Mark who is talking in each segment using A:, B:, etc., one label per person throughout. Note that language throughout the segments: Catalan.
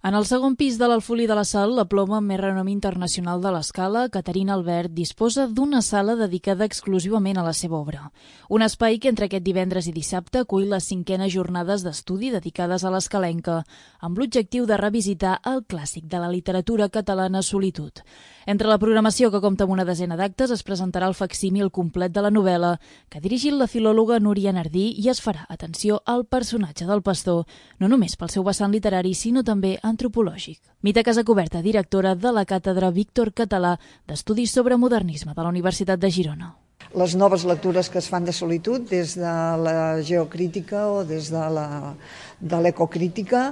A: En el segon pis de l'Alfolí de la Sal, la ploma amb més renom internacional de l'escala, Caterina Albert, disposa d'una sala dedicada exclusivament a la seva obra. Un espai que entre aquest divendres i dissabte acull les 5enes jornades d'estudi dedicades a l'escalenca, amb l'objectiu de revisitar el clàssic de la literatura catalana Solitud. Entre la programació, que compta amb una desena d'actes, es presentarà el facsímil complet de la novel·la, que ha dirigit la filòloga Núria Nardí, i es farà atenció al personatge del pastor, no només pel seu vessant literari, sinó també antropològic. Mita Casacoberta, directora de la càtedra Víctor Català d'Estudis sobre Modernisme de la Universitat de Girona.
B: Les noves lectures que es fan de Solitud des de la geocrítica o des de l'ecocrítica,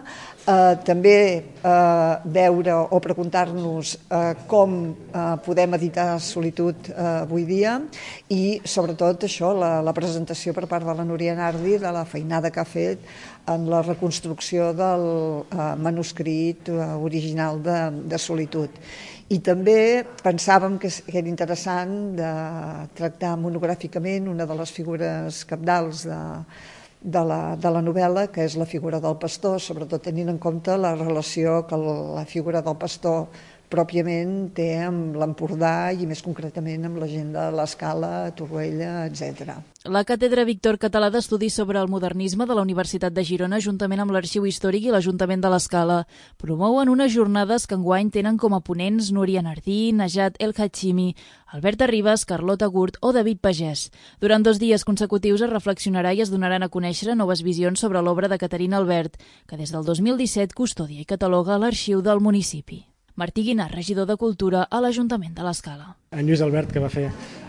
B: també veure o preguntar-nos com podem editar Solitud avui dia i sobretot això, la presentació per part de la Núria Nardi de la feinada que ha fet en la reconstrucció del manuscrit original de Solitud. I també pensàvem que era interessant de tractar monogràficament una de les figures cabdals de la novel·la, que és la figura del pastor, sobretot tenint en compte la relació que la figura del pastor pròpiament té amb l'Empordà i més concretament amb la gent de l'Escala, Torroella, etc.
A: La càtedra Víctor Català d'Estudis sobre el Modernisme de la Universitat de Girona, juntament amb l'Arxiu Històric i l'Ajuntament de l'Escala, promouen unes jornades que enguany tenen com a ponents Núria Nardí, Najat El Hachimi, Alberta Ribas, Carlota Gurt o David Pagès. Durant 2 dies consecutius es reflexionarà i es donaran a conèixer noves visions sobre l'obra de Caterina Albert, que des del 2017 custodia i cataloga l'Arxiu del municipi. Martí Guinart, regidor de Cultura a l'Ajuntament de l'Escala.
C: En Lluís Albert, que va fer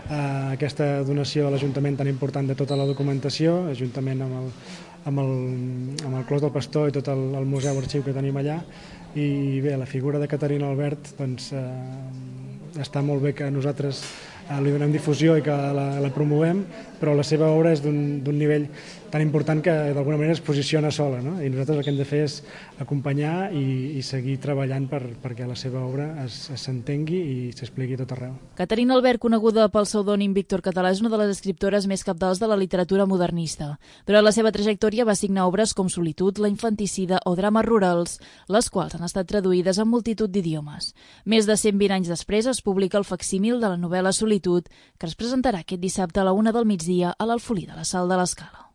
C: aquesta donació a l'Ajuntament tan important de tota la documentació, juntament amb el Clos del Pastor i tot el museu arxiu que tenim allà. I bé, la figura de Caterina Albert, doncs, està molt bé que nosaltres li donem difusió i que la promovem, però la seva obra és d'un nivell tan important que d'alguna manera es posiciona sola, no? I nosaltres el que hem de fer és acompanyar i seguir treballant perquè la seva obra s'entengui i s'expliqui a tot arreu.
A: Caterina Albert, coneguda pel pseudònim Víctor Català, és una de les escriptores més cabdals de la literatura modernista. Durant la seva trajectòria va signar obres com Solitud, La infanticida o Drames rurals, les quals han estat traduïdes en multitud d'idiomes. Més de 120 anys després es publica el facsímil de la novel·la Solitud, que es presentarà aquest dissabte a la 1 del migdia a l'Alfolí de la Sal de l'Escala.